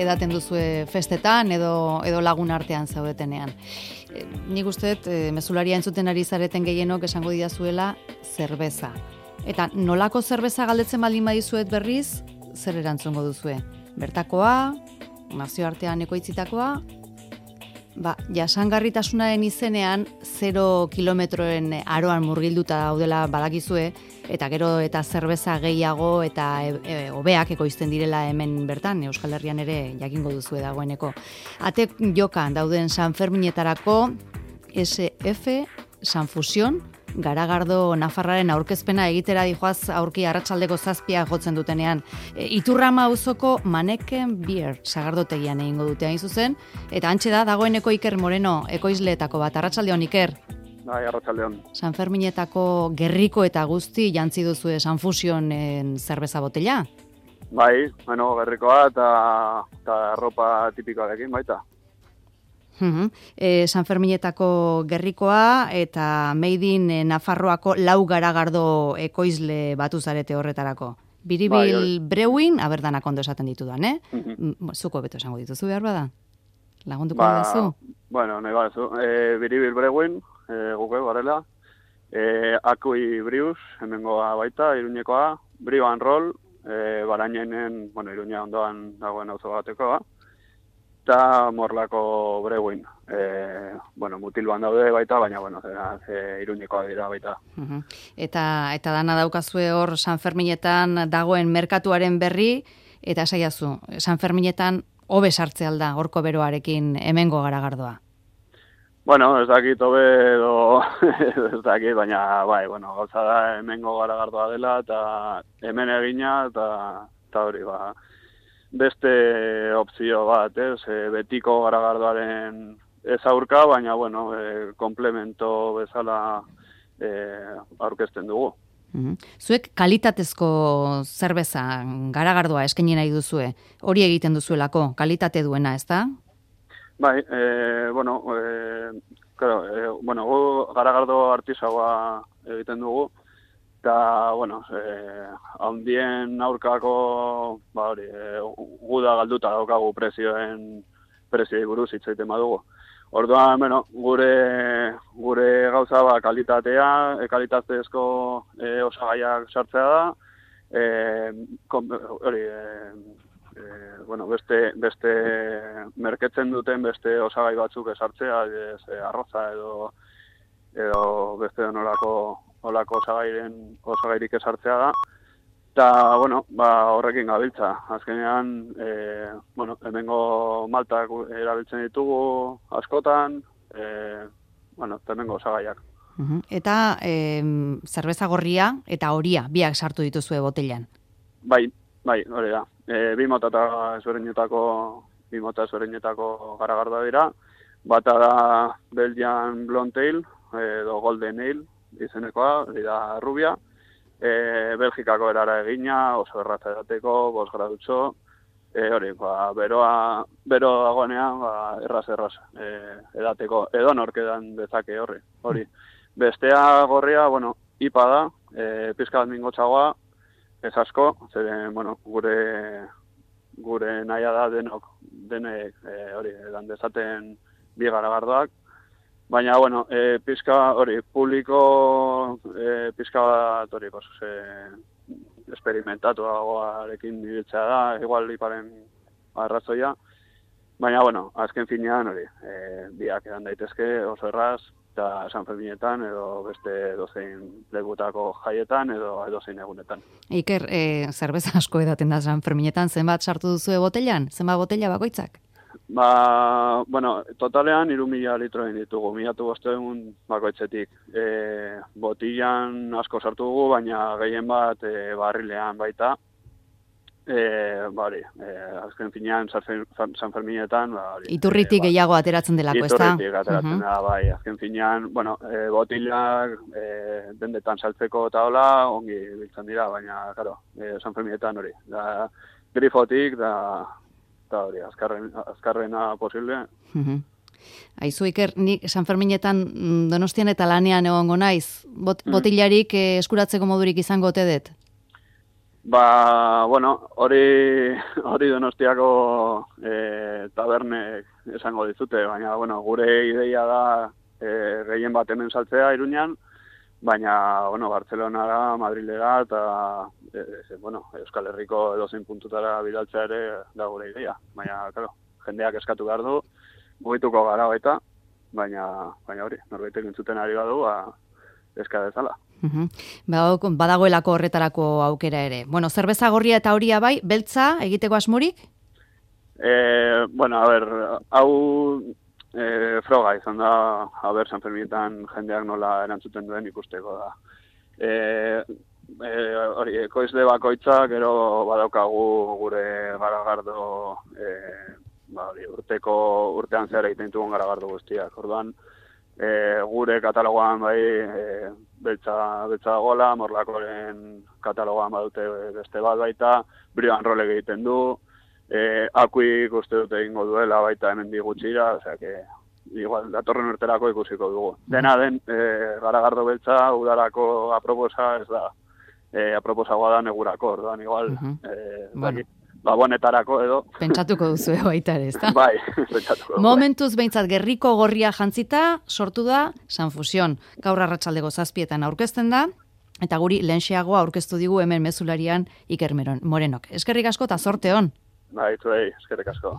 edaten duzue festetan edo lagun artean zaudetenean. Nik uste dut, mezularia entzuten ari zareten gehienok esango didazuela zerbeza. Eta nolako zerbeza galdetzen baldin badizuet berriz, zer erantzungo duzue? Bertakoa, nazioartean ekoitzitakoa, jasangarritasunaren izenean 0 kilometroen aroan murgilduta daudela badakizue, eta gero eta zerbeza gehiago eta hobeak ekoizten direla hemen bertan, Euskal Herrian ere jakingo duzue dagoeneko. Ate jokan dauden Sanferminetarako SF Sanfusion, Garagardo Nafarraren aurkezpena egitera dijoaz aurki arratsaldeko 7 jotzen dutenean. Iturrama auzoko Maneken Beer sagardotegian egingo dute hain zuzen, eta hantxe da dagoeneko Iker Moreno ekoizleetako bat. Arratsaldeon, Iker. Bai, arratsaldeon. Sanferminetako gerriko eta guzti jantzi duzue Sanfusionen zerbeza botella? Bai, gerrikoa eta arropa tipikoarekin baita. Sanferminetako gerrikoa eta Made in Nafarroako 4 garagardo ekoizle batu zarete horretarako. Biribil Brewing, danak ondo esaten ditudan, Zuko beto esango dituzu behar bada? Lagunduko duzu? Bueno, nahi badezu. Biribil Brewing, guke garela. Akui Brews, hemengoa baita, Iruñekoa. Brew and Roll, Barañainen, Iruña ondoan dagoen auzo batekoa. Eta Morlako Brewin. Mutilban daude baita, baina, Iruñekoa dira baita. Eta dana daukazue hor Sanferminetan dagoen merkatuaren berri, eta esaiazu, Sanferminetan hobe sartze alda, horko beroarekin hemengo garagardoa. Ez dakit hobe edo ez dakit, baina, gauza da hemengo garagardoa dela, eta hemen egina, eta hori, beste opzio bat, betiko garagardoaren ez aurka, baina, komplemento bezala aurkezten dugu. Zuek kalitatezko zerbeza garagardoa eskaini nahi duzue, hori egiten duzuelako, kalitate duena, ez da? Bai, gu garagardo artisaua egiten dugu, eta, handien aurkako, guda galduta daukagu prezioi buruz hitz egiten badugu. Orduan, gure gauza kalitatezko osagaiak sartzea da, beste merketzen duten beste osagai batzuk esartzea, arroza edo beste olako osagairik esartzea da. Eta, horrekin gabiltza. Azkenean, hemengo maltak erabiltzen ditugu askotan, eta hemengo osagaiak. Eta zerbeza gorria eta horia, biak sartu dituzue botellan? Bai, hori da. Bi mota ezberdinetako garagardoa dira. Bata da Belgian Blonde Ale, edo Golden Ale izenekoa, hori da rubia. Belgikako erara egina, oso erratza edateko, 5 gradutxo, bero dagoenean, erraz edateko, edo nork edan dezake hori. Bestea gorria, IPA da, pizka bat mingotxagoa, ez asko, zeren, gure nahia da denek edan dezaten bi garagardoak. Baina, pizka hori, publiko pizka bat hori, esperimentatuagoarekin ibiltzea da, igual iparen arrazoia. Baina, azken finean hori, biak edan daitezke oso erraz, eta Sanferminetan edo beste edozein legutako jaietan edo edozein egunetan. Iker, zerbeza asko edaten da Sanferminetan, zenbat sartu duzue botellan? Zenbat botella bakoitzak? Totalean 3.000 litro egin ditugu, 1.500 bakoitzetik. Botillan asko sartu dugu, baina gehien bat barrilean baita. Azken finean Sanferminetan... Iturritik gehiago ateratzen delako, ez da? Iturritik ateratzen dela, bai. Azken finean, botillak dendetan saltzeko eta hola, ongi biltzen dira, baina, Sanferminetan hori. Grifotik, eta hori, azkarrena posible. Aizu, Iker, nik Sanferminetan Donostian eta lanean egongo naiz. Botillarik eskuratzeko modurik izango ote dut? Bueno, hori Donostiako tabernek esango dizute, baina, bueno, gure ideia da gehien bat hemen saltzea Iruñan, baina, bueno, Bartzelonara, Madrilera eta, Euskal Herriko edozein puntutara bidaltzea ere da gure ideia. Baina, claro, jendeak eskatu behar du, mugituko gara baita, baina hori, norbaitek entzuten ari badu, eska dezala. Badagoelako horretarako aukera ere. Bueno, zerbeza gorria eta horia bai, beltza egiteko asmorik? Hau froga izan da, San Ferminetan jendeak nola erantzuten duen ikusteko da. Ekoizle bakoitza, gero badaukagu gure garagardo, urtean zehar egiten dugun garagardo guztiak. Orduan, gure katalogoan bai beltza dagoela, Morlakoren katalogoan badute beste bat baita, Brio and Roll egiten du, Akuik uste dute egingo duela baita hemen digutxira, osea que igual datorren urterako ikusiko dugu. Dena den garagardo beltza udarako aproposa ez da, aproposagoa da negurako, orduan igual Gabonetarako edo. Pentsatuko duzu baita ere, ezta? Bai, pentsatuko. Momentuz behintzat gerriko gorria jantzita sortu da San Fusion. Gaur arratsaldeko 7:00 aurkezten da, eta guri lehenxeagoa aurkeztu digu hemen mezularian Iker Morenok. Eskerrik asko eta zorte on. Bai, zuei, eskerrik asko.